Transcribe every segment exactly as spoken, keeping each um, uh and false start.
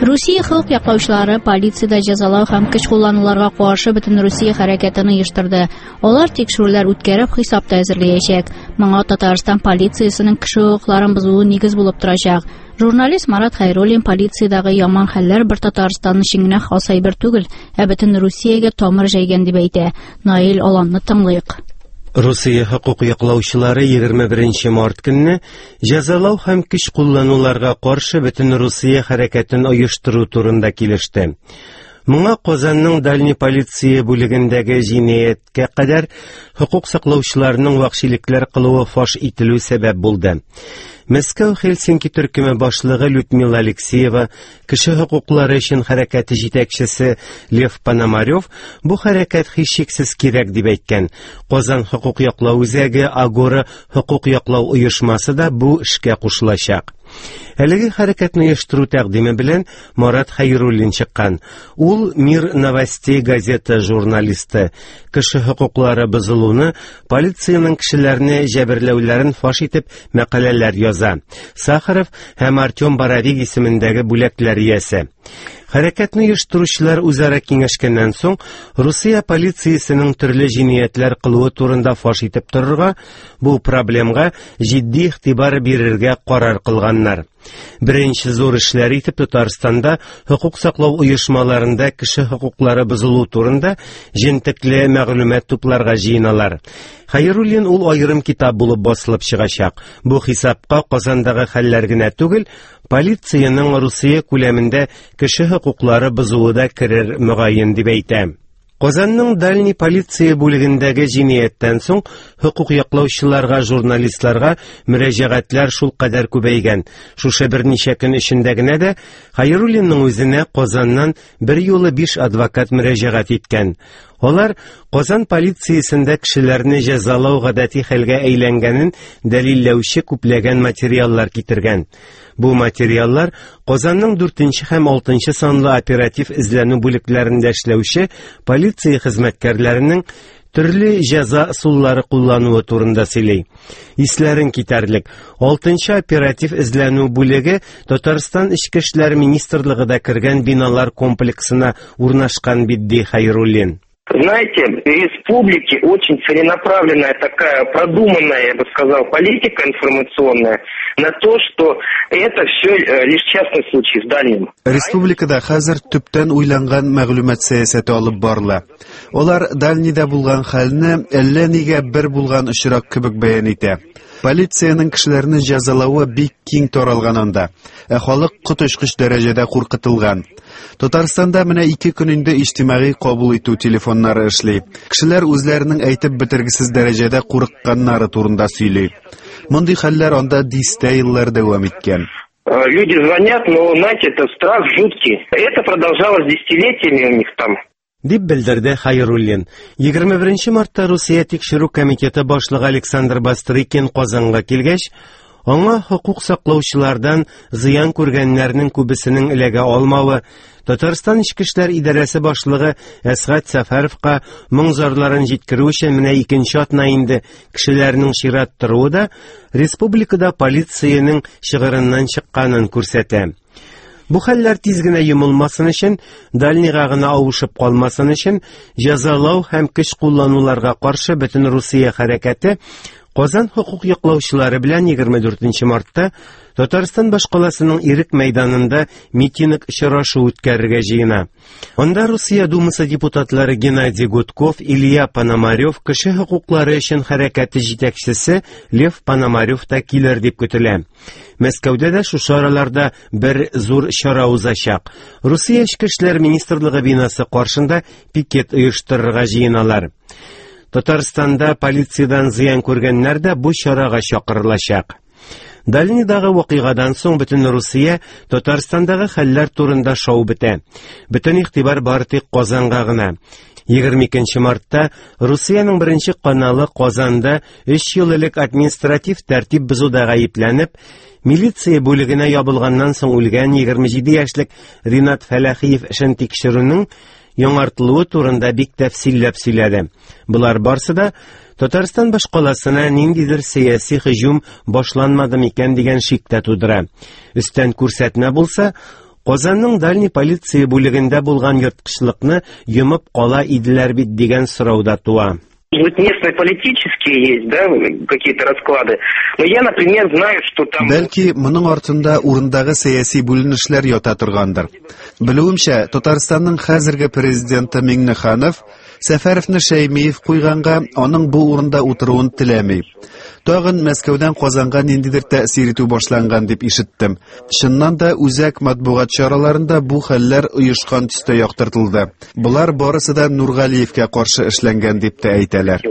Русия хокук яклаучылары полициядә җәзалау һәм көч куллануларга каршы бөтен Русия хәрәкәтен оештырды. Алар тикшерүләр үткәреп хисап та әзерләячәк. Моңа Татарстан полициясенең кеше хокукларын бозуы нигез булып торачак. Журналист Марат Хәйруллин полициядәге яман хәлләр бер Татарстан өчен генә хас әйбер түгел, ә бөтен Русиягә тамыр җәйгән дип әйтә. Наил Аланны тыңлыйк. Русия хокук яклаучылары егерме беренче март көнне җәзалау һәм көч куллануларга каршы бөтен Русия хәрәкәтен оештыру турында килеште. Моңа Казанның Дальний полиция бүлегендәге җинаятькә кадәр хокук саклаучыларның вәхшилекләр кылуы фаш ителү сәбәп булды. Мәскәү Хельсинки төркеме башлыгы Людмила Алексеева, кеше хокуклары өчен хәрәкәте җитәкчесе Лев Пономарев бу хәрәкәт һичшиксез кирәк дип әйткән. Казан хокук яклау үзәге Агора хокук яклау оешмасы да бу эшкә кушылачак. Әлеге хәрәкәтне оештыру тәкъдиме белән Марат Хәйруллин чыккан. Ул Мир новостей газета журналисты. Кеше хокуклары бозылуны, полициянең кешеләрне җәберләүләрен фаш итеп мәкаләләр яза. Сахаров һәм Артем Боровик исемендәге бүләкләр иясе. Хәрәкәтне оештыручылар үзара киңәшкәннән соң Русия полициясенең төрле җинаятьләр кылуы турында фаш итеп торырга, бу проблемга җитди игътибар бирергә карар кылганнар. Беренче зур эшләр итеп Татарстанда хокук саклау оешмаларында кеше хокуклары бозылу турында җентекле мәгълүмат тупларга җыеналар. Хәйруллин ул аерым китап булып басылып чыгачак. Бу хисапка Казандагы хәлләр генә түгел, полициянең Русия күләмендә кеше хокуклары бозуы да керер мөгаен дип әйтә. Казанның Дальний полиция бүлегендәге җинаятьтән соң хокук яклаучыларга, журналистларга мөрәҗәгатьләр шул кадәр күбәйгән. Шушы берничә көн эчендә генә дә Хәйруллинның үзенә Казаннан бер юлы биш адвокат мөрәҗәгать иткән. Алар Казан полициясендә кешеләрне җәзалау гадәти хәлгә әйләнгәнен дәлилләүче күпләгән материаллар китергән. Бу материаллар Казанның дүртенче һәм алтынчы санлы оператив эзләнү бүлекләрендә эшләүче полиция хезмәткәрләренең төрле җәза ысуллары куллануы турында сөйли. Исләрен китәрлек. Алтынчы оператив эзләнү бүлеге Татарстан Эчке эшләр министрлыгы да кергән биналар комплексына урнашкан бит, ди Хәйруллин. Знаете, в республике очень целенаправленная такая продуманная, я бы сказал, политика информационная на то, что это все лишь частный случай в Дальнем. Республикада хәзер төптән уйланган мәгълүмат сәясәте алып барыла. Алар Дальнийда булган хәлне әллә нигә бер булган очрак кебек бәян итә. Полициянең кешеләрне җәзалавы бик киң таралган анда, ә халык коточкыч дәрәҗәдә куркытылган. Татарстанда менә ике көн инде иҗтимагый кабул итү телефоннары эшли. Кешеләр үзләренең әйтеп бетергесез дәрәҗәдә курыкканнары турында сөйли. Мондый хәлләр анда дистә еллар дәвам иткән. Люди звонят, но, знаете, это страх жуткий. Это продолжалось десятилетиями у них там. Дип белдерде Хәйруллин. Егерме беренче мартта Русия тикшерү комитеты башлыгы Александр Бастрыкин Казанга килгәч, аңа хокук саклаучылардан зыян күргәннәрнең күбесенең эләгә алмавы, Татарстан Эчке эшләр идарәсе башлыгы Әсгать Сәфәровка моң зарларын җиткерү өчен менә икенче атна инде кешеләрнең чират торуы да республикада полициянең чыгырыннан чыкканын күрсәтә. Бу хәлләр тиз генә йомылмасын өчен, Дальнийга гына авышып калмасын өчен, җәзалау һәм көч куллануларга каршы бөтен Русия хәрәкәте Казан хокук яклаучылары белән егерме дүртенче мартта Татарстан башкаласының Ирек мәйданында митинг очрашу үткәрергә җыена. Анда Русия Думасы депутатлары Геннадий Гудков, Илья Пономарев, кеше хокуклары өчен хәрәкәте җитәкчесе Лев Пономарев та килер дип көтелә. Мәскәүдә дә шушы араларда бер зур чара узачак. Русия Эчке эшләр министрлыгы бинасы каршында пикет оештырырга җыеналар. Татарстанда полициядән зыян күргәннәр дә бу чарага чакырылачак. Дальнийдагы вакыйгадан соң бөтен Русия Татарстандагы хәлләр турында шау бетә. Бөтен игътибар бары тик Казанга гына. Егерме икенче мартта Русиянең беренче каналы Казанда өч ел элек административ тәртип бозуда гаепләнеп, милиция бүлегенә ябылганнан соң үлгән егерме җиде яшьлек Ринат Фәләхиев эшен тикшерүнең яңартылуы турында бик тәфсилләп сөйләде. Болар барсы да Татарстан башкаласына ниндидер сәяси һөҗүм башланмады микән дигән шик тә тудыра. Өстән күрсәтмә булса, Казанның Дальний полиция бүлегендә булган ерткычлыкны йомып кала иделәр бит дигән сорау да туа. Может быть, местные политические есть, да, какие-то расклады. Но я, например, знаю, что там... Бәлки, моның артында урындагы сәяси бүленешләр ята торгандыр. Белүемчә, Татарстанның хәзерге президенты Миңнеханов Сәфәровны Шәймиев куйганга аның бу урында утыруын теләми. Тагын Мәскәүдән Казанга ниндидер тәэсир итү башланган дип ишеттем. Чыннан да үзәк матбугат чараларында бу хәлләр оешкан төстә яктыртылды. Болар барысы да Нургалиевкә каршы эшләнгән дип тә әйтәләр.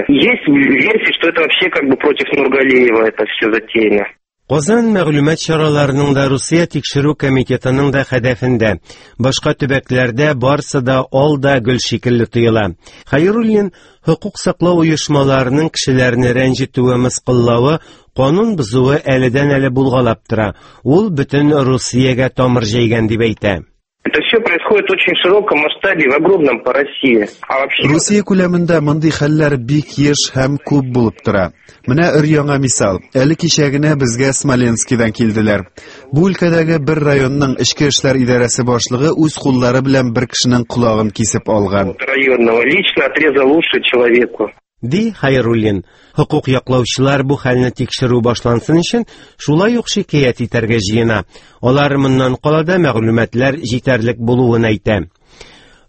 Есть версия, что это вообще как бы против Нургалиева это все затеяно. Казан мәгълүмат чараларының да, Русия тикшерү комитетының да хәдәфендә. Башка төбәкләрдә барсы да ал да гөл шикелле тоела. Хәйруллин хокук саклау оешмаларының кешеләрне рәнҗетүе, мыскыллавы, канун бозуы әледән-әле булгалап тора. Ул бөтен Русиягә тамыр җәйгән дип әйтә. Это все происходит в очень широком масштабе, в огромном по России. А вообще... Русия күләмендә мондый хәлләр бик еш һәм күп булып тора. Менә өр яңа мисал. Әле кичә генә безгә Смоленскидан килделәр. Бу өлкәдәге бер районның эчке эшләр идарәсе башлыгы үз куллары белән бер кешенең колагын кисеп алган. Районного лично отрезал уши человеку. Ди Хәйруллин. Хокук яклаучылар бу хәлне тикшерү башлансын өчен шулай ук шикаять итәргә җыена. Алар моннан кала да мәгълүматлар җитәрлек булуын әйтә.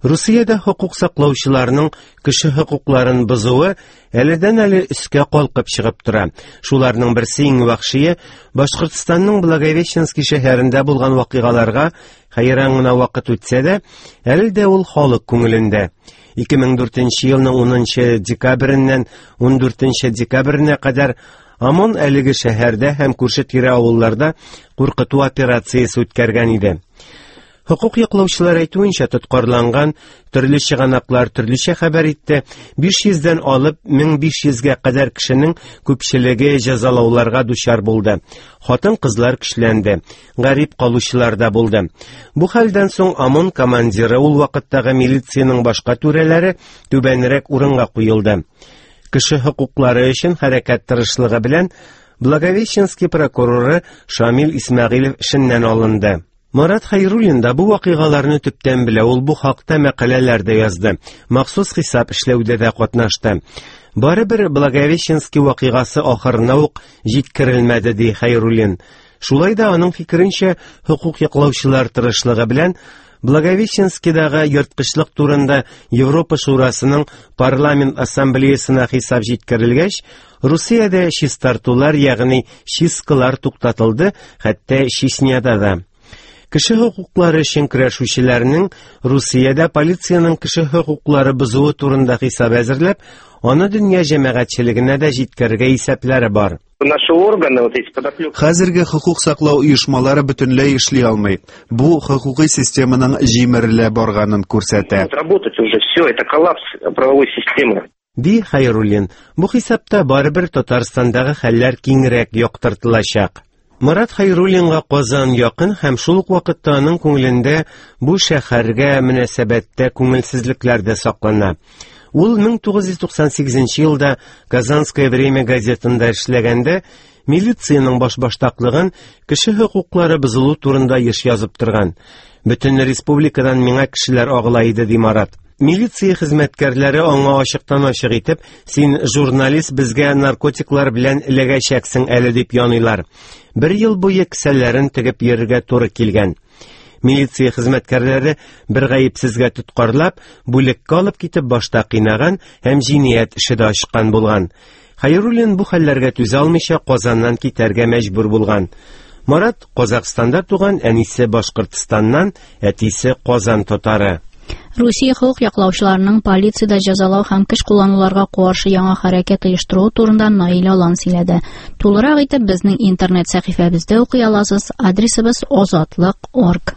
Русиядә хокук саклаучыларның кеше хокукларын бозуы әледән-әле өскә калкып чыгып тора. Шуларның берсе иң вәхшие Башкортстанның Благовещенский шәһәрендә булган вакыйгаларга хәйран гына вакыт үтсә дә, әле дә ул халык күңелендә. ике мең дүртенче елның унынчы декабреннән ундүртенче декабренә кадәр ОМОН әлеге шәһәрдә һәм күрше-тирә авылларда куркыту операциясе үткәргән иде. Хокук яклаучылар әйтүенчә, тоткарланган төрле чыганаклар төрлечә хәбәр итте. биш йөздән алып мең биш йөзгә кадәр кешенең күпчелеге җәзалауларга дучар булды. Хатын-кызлар көчләнде, гарип калучылар да булды. Бу хәлдән соң ОМОН командиры, ул вакыттагы милициянең башка түрәләре түбәнрәк урынга куелды. Кеше хокуклары өчен хәрәкәт тырышлыгы белән Благовещенский прокуроры Шамил Исмәгыйлев эшеннән алынды. Марат Хәйруллин да бу вакыйгаларны төптән белә, ул бу хакта мәкаләләр дә язды, махсус хисап эшләүдә дә катнашты. Барыбер Благовещенский вакыйгасы ахырына ук җиткерелмәде, ди Хәйруллин. Шулай да аның фикеренчә, хокук яклаучылар тырышлыгы белән Благовещенскийдагы ерткычлык турында Европа Шурасының парламент ассамблеясына хисап җиткерелгәч, Русиядә чистартулар, ягъни чисткалар туктатылды, хәтта Чечняда да. Кеше хокуклары өчен көрәшүчеләрнең Русиядә полициянең кеше хокуклары бозуы турында хисап әзерләп, аны дөнья җәмәгатьчелегенә дә җиткерергә исәпләре бар. Наши органы, вот эти подоплёки. Хәзерге хокук саклау оешмалары бөтенләй эшли алмый. Бу хокукый системаның җимерелә барганын күрсәтә. Работать уже все, это коллапс правовой системы. Ди Хәйруллин. Бу хисапта барыбер Татарстандагы хәлләр киңрәк яктыртылачак. Марат Хәйруллинга Казан якын һәм шул ук вакытта аның күңелендә бу шәһәргә мөнәсәбәттә күңелсезлекләр дә саклана. Ул мең тугыз йөз туксан сигезенче елда Казанское время газетында эшләгәндә милициянең башбаштаклыгын, кеше хокуклары бозылу турында еш язып торган. Бөтен республикадан миңа кешеләр агыла иде, ди Марат. Милиция хезмәткәрләре аңа ачыктан-ачык итеп, син журналист, безгә наркотиклар белән эләгәчәксең әле, дип яныйлар. Бер ел буе кесәләрен тегеп йөрергә туры килгән. Милиция хезмәткәрләре бер гаепсезгә тоткарлап, бүлеккә алып китеп башта кыйнаган һәм җинаять эше дә ачкан булган. Хәйруллин бу хәлләргә түзә алмыйча Казаннан китәргә мәҗбүр булган. Марат Казахстанда туган, әнисе Башкортстаннан, әтисе Казан татары. Русия хокук яклаучыларының полициядә җәзалау һәм көч куллануларга каршы яңа хәрәкәт оештыруы турында Наил Алан сөйләде. Тулырак итеп безнең интернет сәхифәбездә укый аласыз. Адресыбыз озатлык орг.